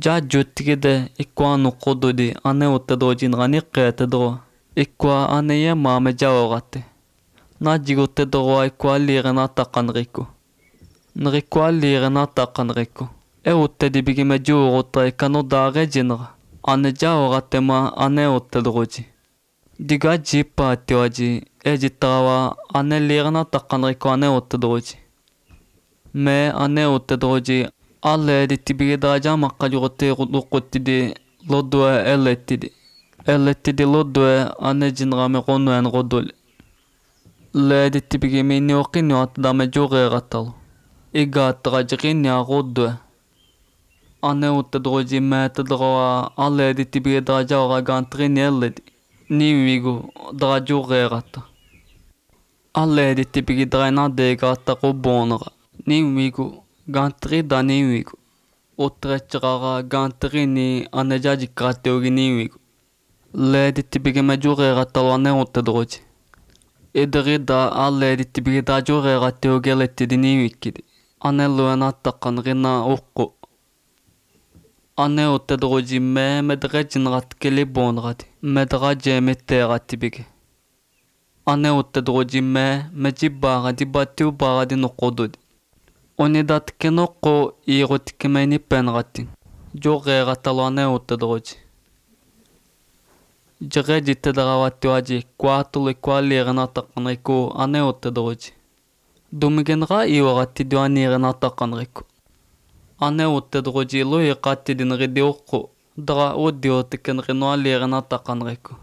Ja juttigide ikwa nuqududi ane uttedojin gani qeetedro. Ikwa ane ye mame jawogate. Na jiguttedro ikwa liirena taqanriku. Nrikwa liirena taqanriku. E uttedi bigime juurutta ikanu daage jinra. Ane jawogate ma ane uttedroji. Diga jippa atioji e jittawa ane liirena taqanriku ane uttedroji. Me ane uttedroji alle dittibige daja maqajugote luqquttidi lodwe elettidi. Elettidi lodwe ane jinrame qonuen qodule. Le dittibige minni oqinni atdame jugeeqattalu. Igattaqa jiqinni qodwe. Ane uttedroji meetedroa alle dittibige daja oqa gantrini elledi. Niwigu dra jugeeqatta. Alle dittibige drena deegatta qubboonera. Niwigu gantri da niwigu. Utrechtiraga gantrini ane jajikkaatteogi niwigu. Le dittibige me jugeeqattalu ane uttedroji. Idrida alle dittibige da jugeeqatteogi elettidi niwikkidi. Ane luena taqan rina uqqu. Ane uttedroji me medrejinrat keliboonrati. Medra jeemitteeqatti bige. Ane uttedroji me jibbaaradi battiubaaradi nuqududi. Unidatke noqqu iirutikkime nippenratin. Jugeeqattalu ane uttedroji. Jirejittedrawattiwaji kuaatulu ikwa liirena taqanriku ane uttedroji. Dumigenra iwarattidu aniirena taqanriku. Ane uttedroji lu iqattidin ridi uqqu. Dra uddiutikken rinua liirena taqanriku.